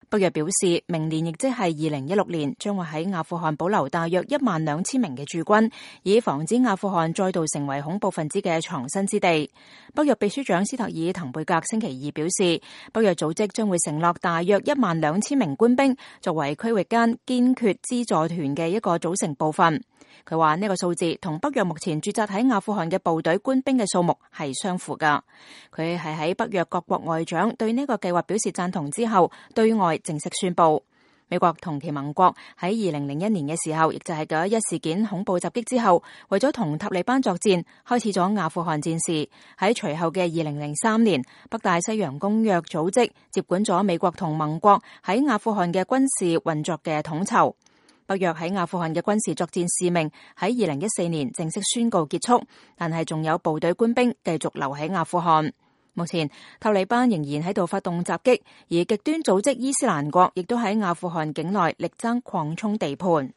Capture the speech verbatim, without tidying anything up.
北約表示，明年亦即係二零一六年，將會喺阿富汗保留大約一萬兩千名嘅駐軍，以防止阿富汗再度成為恐怖分子嘅藏身之地。北約秘書長斯特爾滕貝格星期二表示，北約組織將會承諾大約一萬兩千名官兵，作為區域間堅決資助團嘅一個組成部分。佢話呢個數字同北約目前駐紮喺阿富汗嘅部隊官兵嘅數目係相符噶。佢係喺北約各國外長對呢個計劃表示贊同之後，對外正式宣布。美國同其盟國喺二零零一年嘅時候，亦就係九一一事件恐怖襲擊之後，為咗同塔利班作戰，開始咗阿富汗戰事。喺隨後嘅二零零三年，北大西洋公約組織接管咗美國同盟國喺阿富汗嘅軍事運作嘅統籌。北約喺阿富汗嘅軍事作戰使命喺二零一四年正式宣告結束，但係仲有部隊官兵繼續留喺阿富汗。目前塔利班仍然喺度發動襲擊，而極端組織伊斯蘭國亦都喺阿富汗境內力爭擴充地盤。